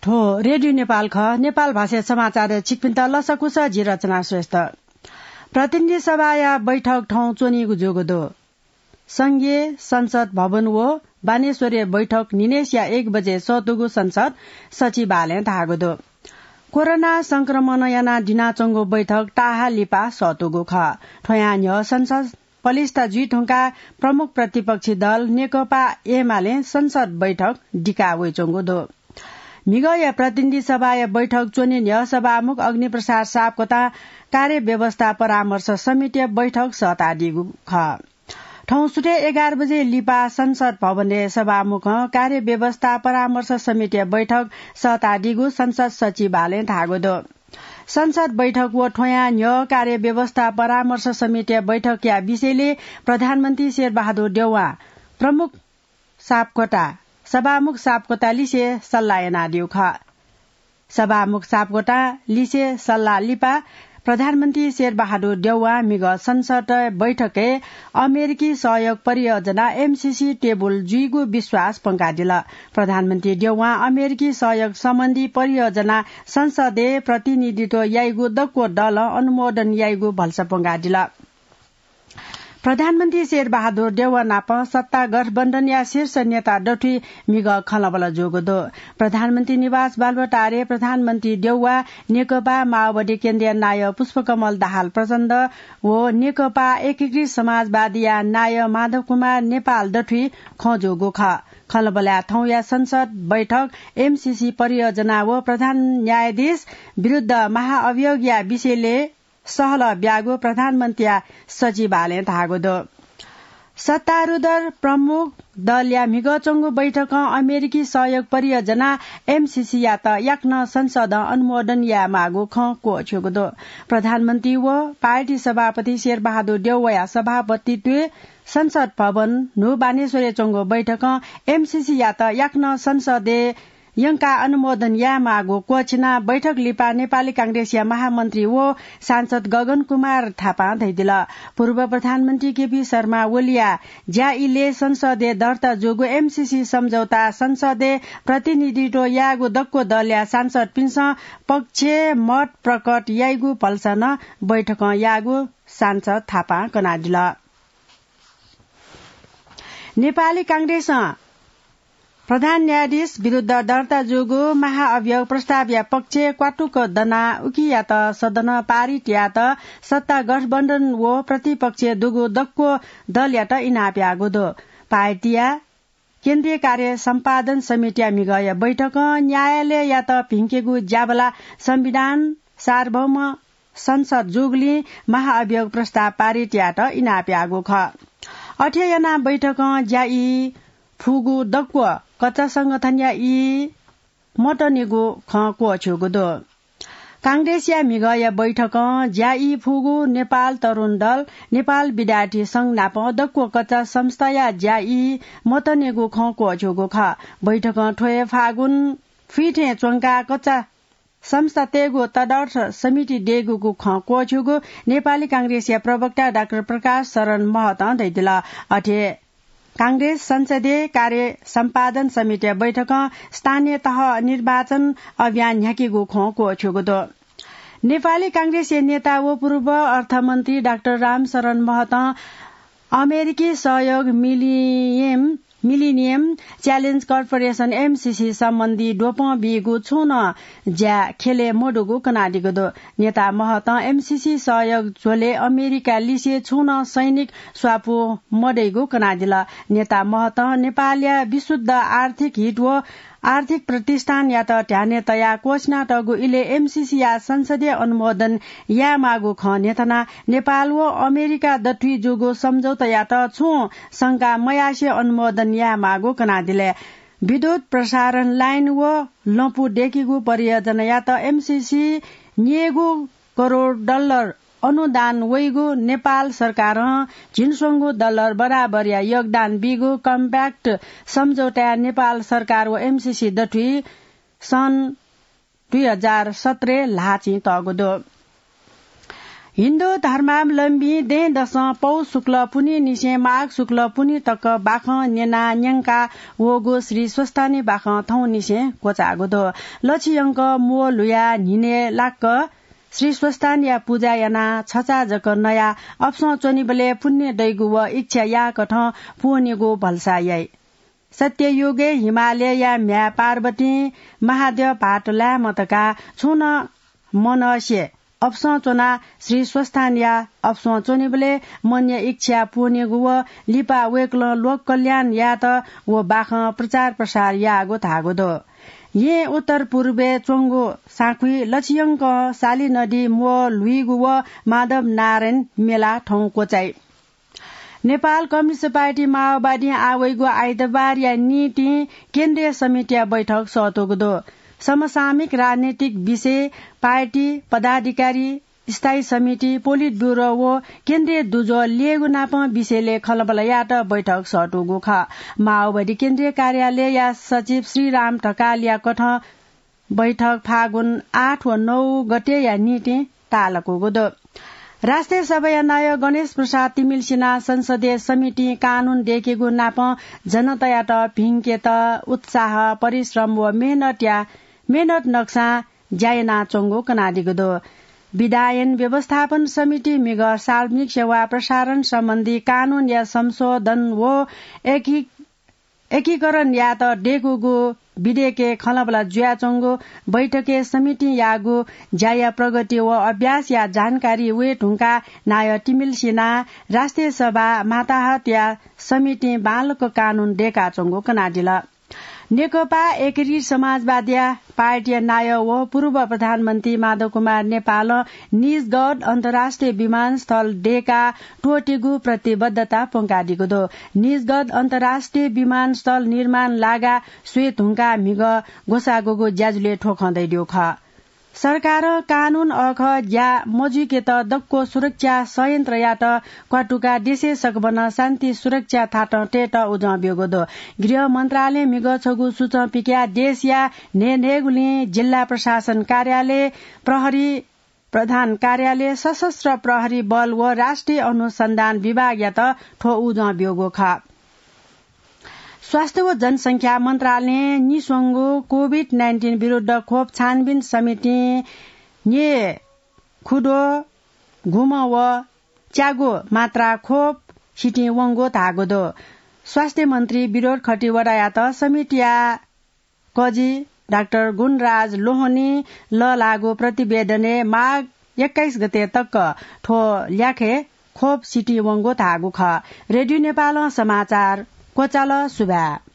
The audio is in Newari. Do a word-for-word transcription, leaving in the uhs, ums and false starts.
थ्व रेडियो नेपाल खः। नेपाल भाषा समाचार छिकपिन्त लसकुस, जि रचना श्रेष्ठ। प्रतिनिधि सभाया बैठक थौं च्वनीगु जूगु दु। संघीय संसद भवन व बानेश्वरय् बैठक न्हिनय्सिया एक बजे सःतूगु संसद सचिवालयं धाःगु दु। कोरोना संक्रमण यानाः दिनाच्वंगु बैठक ताःहा लिपा सःतूगु खः। थ्वयां न्ह्यः संसद पलिस्था जुइधुंकाः प्रमुख प्रतिपक्षी दल नेकपा एमालें संसद बैठक दिका वइच्वंगु दु। म्हिगःया प्रतिनिधि सभाया बैठक च्वने न्ह्यः सभामुख अग्निप्रसाद सापकोटां कार्यव्यवस्था परामर्श समितिया बैठक सःतादीगु खः। थौं सुथय् एघार बजे लिपा संसद भवनय् सभामुखं कार्यव्यवस्था परामर्श समितिया बैठक सःतादीगु संसद सचिवालयं धाःगु दु। संसद बैठक व थ्वयां न्ह्यः कार्यव्यवस्था परामर्श समितिया बैठकया विषयलय् प्रधानमन्त्री शेरबहादुर देउवां प्रमुख सापकोटा, सभामुख सापकोटा लिसे सल्लाह यानादीगु खः। सभामुख सापकोटा लिसे सल्लाह लिपा प्रधानमन्त्री शेरबहादुर देउवां म्हिगः संसद बैठकय् अमेरिकी सहयोग परियोजना एमसीसी टेबुल जुइगु विश्वास पंकादिल। प्रधानमन्त्री देउवां अमेरिकी सहयोग सम्बन्धी परियोजना संसदय् प्रतिनिधित्व याइगु दक्व दलं अनुमोदन याइगु भलसा पंकादिल। प्रधानमन्त्री शेरबहादुर देउवा नाप सत्ता गठबन्धनया शीर्ष नेता दथुइ म्हिगः खँल्हाबल्हा जूगु दु। प्रधानमन्त्री निवास बालुवाटारय् प्रधानमन्त्री देउवा, नेकपा माओवादी केन्द्रीय नायः पुष्पकमल दाहाल प्रचण्ड व नेकपा एकीकृत समाजवादीया नायः माधव कुमार नेपाल दथुइ खँ जूगु खः। खँल्हाबल्हाय् थौंया संसद बैठक एमसीसी परियोजना व प्रधान न्यायाधीश विरुद्ध महाअभियोगया विषयलय् सहलह ब्यागु प्रधानमन्त्रीया सचिवालयं धाःगु दु। सत्तारूढ प्रमुख दलया म्हिगः च्वंगु बैठकं अमेरिकी सहयोग परियोजना एमसीसीयात याकनं संसदं अनुमोदन यायेमाःगु खँ क्वःछ्यूगु दु। प्रधानमन्त्री व पार्टी सभापति शेरबहादुर देउवाया सभापतित्वय् संसद भवन न्हू बानेश्वरय् च्वंगु बैठकं एमसीसीयात याकनं संसदय् यंकाः अनुमोदन यायेमाःगु क्वःछिनाः बैठक लिपा नेपाली कांग्रेसया महामन्त्री व सांसद गगन कुमार थापां धयादिल। पूर्व प्रधानमन्त्री केपी शर्मा ओलीया ज्या इलय् संसदय् दर्ता जूगु एमसीसी सम्झौता संसदय् प्रतिनिधित्व याःगु दक्व दलया सांसदपिन्सं पक्ष मत प्रकट याइगु भलसा नं बैठकं याःगु सांसद थापां कनादिल। नेपाली कांग्रेसं प्रधान न्यायाधीश विरुद्ध दर्ता जूगु महाअभियोग प्रस्तावया पक्षय् क्वातुक दनाः उकियात सदनं पारित यायेत सत्ता गठबन्धन व प्रतिपक्षय् दुगु दक्व दलयात इनाप याःगु दु। पार्टीया केन्द्रीय कार्य सम्पादन समितिया म्हिगःया बैठकं न्यायालययात भिंकेगु ज्याबला संविधान सार्वभौम संसद जूगुलिं महाअभियोग प्रस्ताव पारित यायेत इनाप याःगु खः। अथे यानाः बैठकं ज्या ई फुगु दक्व कच्चा संगठनया ई मतनेगु खँ क्वःछ्यूगु दु। कांग्रेसया म्हिगःया बैठकं ज्या ई फुगु नेपाल तरुण दल, नेपाल विद्यार्थी संघ नाप दक्व कच्चा संस्थाया ज्या ई मतनेगु खँ क्वःछ्यूगु खः। बैठकं थ्व हे फागुन फिथें च्वंकाः कच्चा संस्थातय्गु तदर्थ समिति दयेगु खँ क्वःछ्यूगु नेपाली कांग्रेसया प्रवक्ता डाक्टर प्रकाश शरण महतं धयादिल। अथे कांग्रेस संसदीय कार्य सम्पादन समितिया बैठकं स्थानीय तह निर्वाचन अभियान न्ह्याकीगु खँ क्वःछ्यूगु दु। नेपाली कांग्रेसया नेता व पूर्व अर्थमन्त्री डाक्टर रामशरण महतं अमेरिकी सहयोग मिलियम मिलिनियम च्यालेन्ज कर्पोरेसन, एमसीसी, सम्बन्धी द्वपं बीगु छुं नं ज्या ख्यलय् मदुगु कनादीगु दु। नेता महतं एमसीसी सहयोग झ्वलय् अमेरिका लिसे छुं नं सैनिक स्वापू मदइगु कनादिल। नेता महतं नेपालया विशुद्ध आर्थिक हित व आर्थिक प्रतिष्ठानयात ध्यानय् तयाः क्वःछिनातःगु इलय् एमसीसीया संसदीय अनुमोदन यायेमाःगु खँ न्ह्यथनाः नेपाल व अमेरिका दथुइ जूगु सम्झौतायात छुं शंका मयासें अनुमोदन यायेमाःगु कनादिल। विद्युत प्रसारण लाइन व लँपु दयेकीगु परियोजनायात एमसीसी न्यय्गू करोड डलर अनुदान वइगु नेपाल सरकारं झिंस्वंगू डलर बराबरया योगदान बीगु कम्प्याक्ट सम्झौताय् नेपाल सरकार व एमसीसी दथुइ सन् दुई हजार सत्रय् ल्हाःचिं तःगु दु। हिन्दू धर्मावलम्बी दँय्‌दसं पौष शुक्ल पुन्हिनिसें माघ शुक्ल पुन्हि तक बाखं न्यना न्यंका वःगु श्री स्वस्थानी बाखं थौंनिसें क्वचाःगु दु। लछि यंक म्वः ल्हुया न्हिनय् लाक्क श्री स्वस्थानीया पुजा याना छचा जक नया अपसं च्वनीबलय् पुण्य दइगु व इच्छा याःकथं पूवनीगु भलसा याइ। सत्ययुगय् हिमालयया म्ह्याय् पार्वतीं महाद्यः भाःत लायेमा धकाः छुं नं मनसे अपसं च्वनाः श्री स्वस्थानीया अपसं च्वनीबलय् मनया इच्छा पूवनीगु व लिपा वय्‌कलं लोक कल्याण यायेत व बाखं प्रचार प्रसार याःगु धाःगु दु। येँ उत्तर पूर्वय् च्वंगु साँखुइ लछि यंक साली नदी म्वः ल्हुइगु व माधव नारायण मेला थौं क्वचाइ। नेपाल कम्युनिस्ट पार्टी माओवादीं आः वइगु आइतबारया निंतिं केन्द्रीय समितिया बैठक सःतूगु दु। समसामयिक राजनीतिक विषय, पार्टी पदाधिकारी, स्थायी समिति, पोलिट ब्युरो व केन्द्रीय दुजः ल्ययेगु नापं विषयलय् खँल्हाबल्हा यायेत बैठक सःतूगु खः। माओवादी केन्द्रीय कार्यालयया सचिव श्रीराम ढकालया कथं बैठक फागुन आठ व नौ गतेया निंतिं ताःलाकूगु दु। राष्ट्रिय सभाया नायः गणेश प्रसाद तिमिल्सिनां संसदीय समितिं कानून दय्‌केगु नापं जनतायात भिंकेत उत्साह, परिश्रम व मेहनतया, मेहनत नकसां ज्या यानाच्वंगु कनादीगु दु। विधायन व्यवस्थापन समिति म्हिगः सार्वजनिक सेवा प्रसारण सम्बन्धी कानूनया संशोधन व एकी-, एकीकरण यायेत दय्‌कूगु विधेयकय् खँल्हाबल्हा जुयाच्वंगु बैठकय् समितिं याःगु ज्याया प्रगति व अभ्यासया जानकारी वये धुंकाः नायः तिमिल्सिनां राष्ट्रिय सभा माताहतया समितिं बांलाक कानून दय्‌काच्वंगु कनादिल। नेकपा एकीकृत समाजवादीया पार्टीया नायः व पूर्व प्रधानमन्त्री माधव कुमार नेपालं निजगढ अन्तर्राष्ट्रिय विमानस्थल दय्‌का त्वःतेगु प्रतिबद्धता प्वंकादीगु दु। निजगढ अन्तर्राष्ट्रिय विमानस्थल निर्माण लागा स्वये धुंकाः म्हिगः ग्वसाःगुगु ज्याझ्वलय् थ्व खँ धयादीगु खः। सरकारं कानून अःखः ज्या मजुइकेत दक्व सुरक्षा संयन्त्रयात क्वातुकाः देशय् सकभनं शान्ति सुरक्षा थातं तयेत उजं ब्यूगु दु। गृह मन्त्रालयं म्हिगः छगू सूचं पिकयाः देशया न्हय्‌न्हय्‌गुलिं जिल्ला प्रशासन कार्यालय, प्रहरी प्रधान कार्यालय, सशस्त्र प्रहरी बल व राष्ट्रिय अनुसन्धान विभागयात थ्व उजं ब्यूगु खः। स्वास्थ्य व जनसंख्या मन्त्रालयं निस्वंगु कोभिड नाइन्टिन विरुद्ध खोप छानबिन समितिं न्ये खुद्वः गुम्ह व च्यागू मात्रा खोप सितिं वंगु धाःगु दु। स्वास्थ्य मन्त्री विनोद खतिवडायात समितिया कजि डाक्टर गुणराज लोहनीं लःल्हाःगु प्रतिवेदनय् माघ एक्काइस गते तक थ्व ल्याखय् खोप सितिं वंगु धाःगु खः। रेडियो नेपालं समाचार क्वचाल। सुभाय्।